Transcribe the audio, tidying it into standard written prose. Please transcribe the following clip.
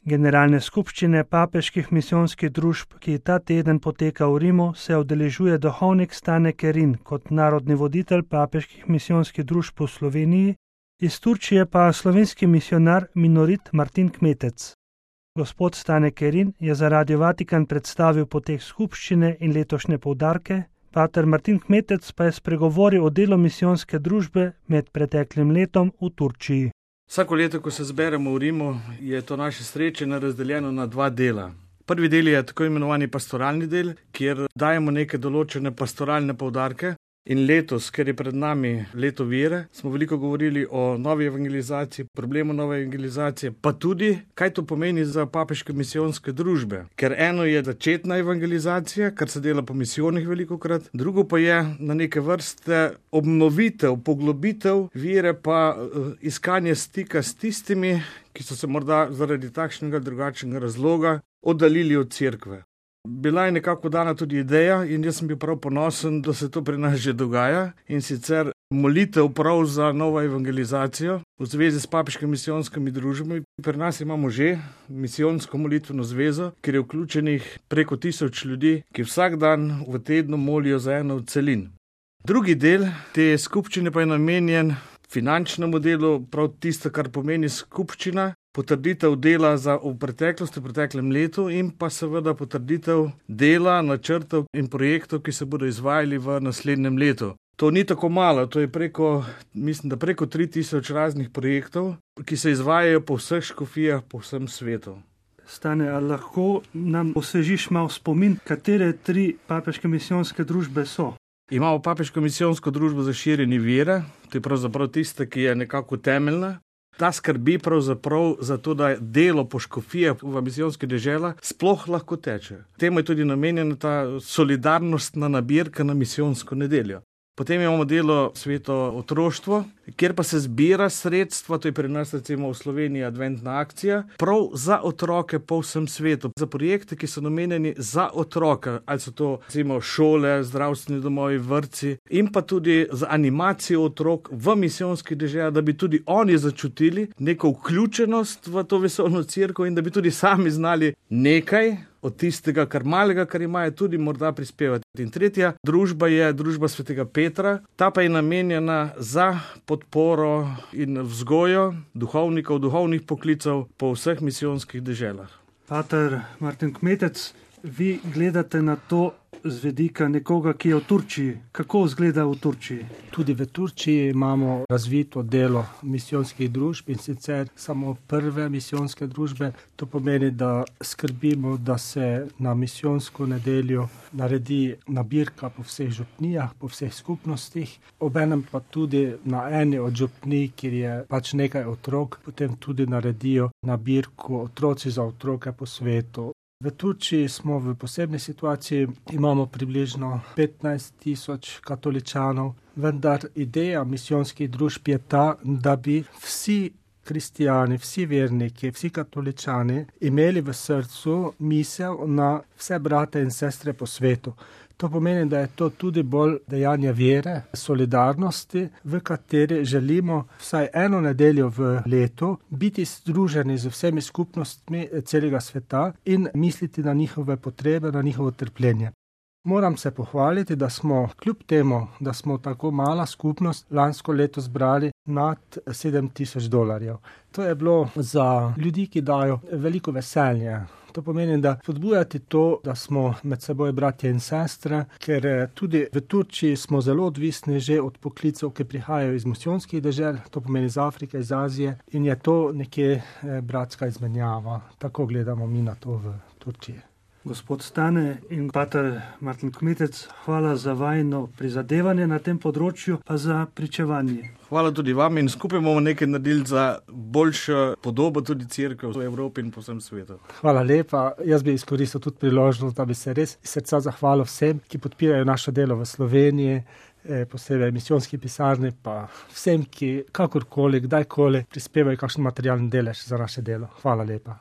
Generalne skupščine papeških misijonskih družb, ki ta teden poteka v Rimu, se udeležuje duhovnik Stane Kerin kot narodni voditelj papeških misijonskih družb v Sloveniji, iz Turčije pa slovenski misionar Minorit Martin Kmetec. Gospod Stane Kerin je za Radio Vatikan predstavil potek skupščine in letošnje poudarke, pater Martin Kmetec pa je spregovoril o delu misijonske družbe med preteklim letom v Turčiji. Vsako leto, ko se zberemo v Rimu, je to naše srečanje razdeljeno na dva dela. Prvi del je tako imenovani pastoralni del, kjer dajemo neke določene pastoralne poudarke. In letos, ker je pred nami leto vere, smo veliko govorili o novi evangelizaciji, problemu nove evangelizacije, pa tudi, kaj to pomeni za papeške misijonske družbe. Ker eno je začetna evangelizacija, kar se dela po misijonih velikokrat, drugo pa je na neke vrste obnovitev, poglobitev vere, pa iskanje stika s tistimi, ki so se morda zaradi takšnega drugačnega razloga oddaljili od cerkve. Bila je nekako dana tudi ideja in jaz sem bil prav ponosen, da se to pri nas že dogaja, in sicer molitev prav za novo evangelizacijo v zvezi s papeškimi misijonskimi družbami. Pri nas imamo že misijonsko molitveno zvezo, kjer je vključenih preko 1000 ljudi, ki vsak dan v tednu molijo za eno od celin. Drugi del te skupščine pa je namenjen finančnemu delu, prav tisto, kar pomeni skupščina, potrditev dela v preteklosti, v preteklem letu in pa seveda potrditev dela, načrtov in projektov, ki se bodo izvajali v naslednjem letu. To ni tako malo, to je preko 3000 raznih projektov, ki se izvajajo po vseh škofijah po vsem svetu. Stane, ali lahko nam osvežiš malo spomin, katere 3 papeške misijonske družbe so? Imamo papeško misijonsko družbo za širjenje vere, to je pravzaprav tista, ki je nekako temeljna. Ta skrbi pravzaprav za to, da delo po škofijah v misijonskih deželah sploh lahko teče. Temu je tudi namenjena ta solidarnostna nabirka na misijonsko nedeljo. Potem imamo delo Sveto otroštvo, kjer pa se zbira sredstva, to je pri nas recimo v Sloveniji adventna akcija, prav za otroke po vsem svetu, za projekte, ki so namenjeni za otroka, ali so to recimo šole, zdravstveni domovi, vrtci in pa tudi za animacijo otrok v misijonskih deželah, da bi tudi oni začutili neko vključenost v to vesoljno cerkev in da bi tudi sami znali nekaj od tistega, kar malega, kar imajo, tudi morda prispevati. In tretja družba je družba svetega Petra, ta pa je namenjena za podporo in vzgojo duhovnikov, duhovnih poklicev po vseh misijonskih deželah. Pater Martin Kmetec, vi gledate na to z vidika nekoga, ki je v Turčiji. Kako izgleda v Turčiji? Tudi v Turčiji imamo razvito delo misijonskih družb in sicer samo prve misijonske družbe. To pomeni, da skrbimo, da se na misijonsko nedeljo naredi nabirka po vseh župnijah, po vseh skupnostih. Obenem pa tudi na eni od župnij, kjer je pač nekaj otrok, potem tudi naredijo nabirko Otroci za otroke po svetu. V Turčiji smo v posebni situaciji, imamo približno 15 000 katoličanov, vendar ideja misijonskih družb je ta, da bi vsi kristijani, vsi verniki, vsi katoličani imeli v srcu misel na vse brate in sestre po svetu. To pomeni, da je to tudi bolj dejanje vere, solidarnosti, v kateri želimo vsaj eno nedeljo v letu biti združeni z vsemi skupnostmi celega sveta in misliti na njihove potrebe, na njihovo trpljenje. Moram se pohvaliti, da smo kljub temu, da smo tako mala skupnost, lansko leto zbrali nad $7,000. To je bilo za ljudi, ki dajo veliko veselje. To pomeni, da podbujati to, da smo med seboj bratje in sestre, ker tudi v Turčiji smo zelo odvisni že od poklicev, ki prihajajo iz misijonskih dežel, to pomeni iz Afrike, iz Azije, in je to nekje bratska izmenjava. Tako gledamo mi na to v Turčiji. Gospod Stane in pater Martin Kmetec, hvala za vajino prizadevanje na tem področju, pa za pričevanje. Hvala tudi vam in skupaj bomo nekaj naredili za boljšo podobo tudi cerkev v Evropi in po vsem svetu. Hvala lepa. Jaz bi izkoristil tudi priložnost, da bi se res iz srca zahvalil vsem, ki podpirajo naše delo v Sloveniji, posebej misijonski pisarni, pa vsem, ki kakorkoli, kdajkoli prispevajo kakšen materialni delež za naše delo. Hvala lepa.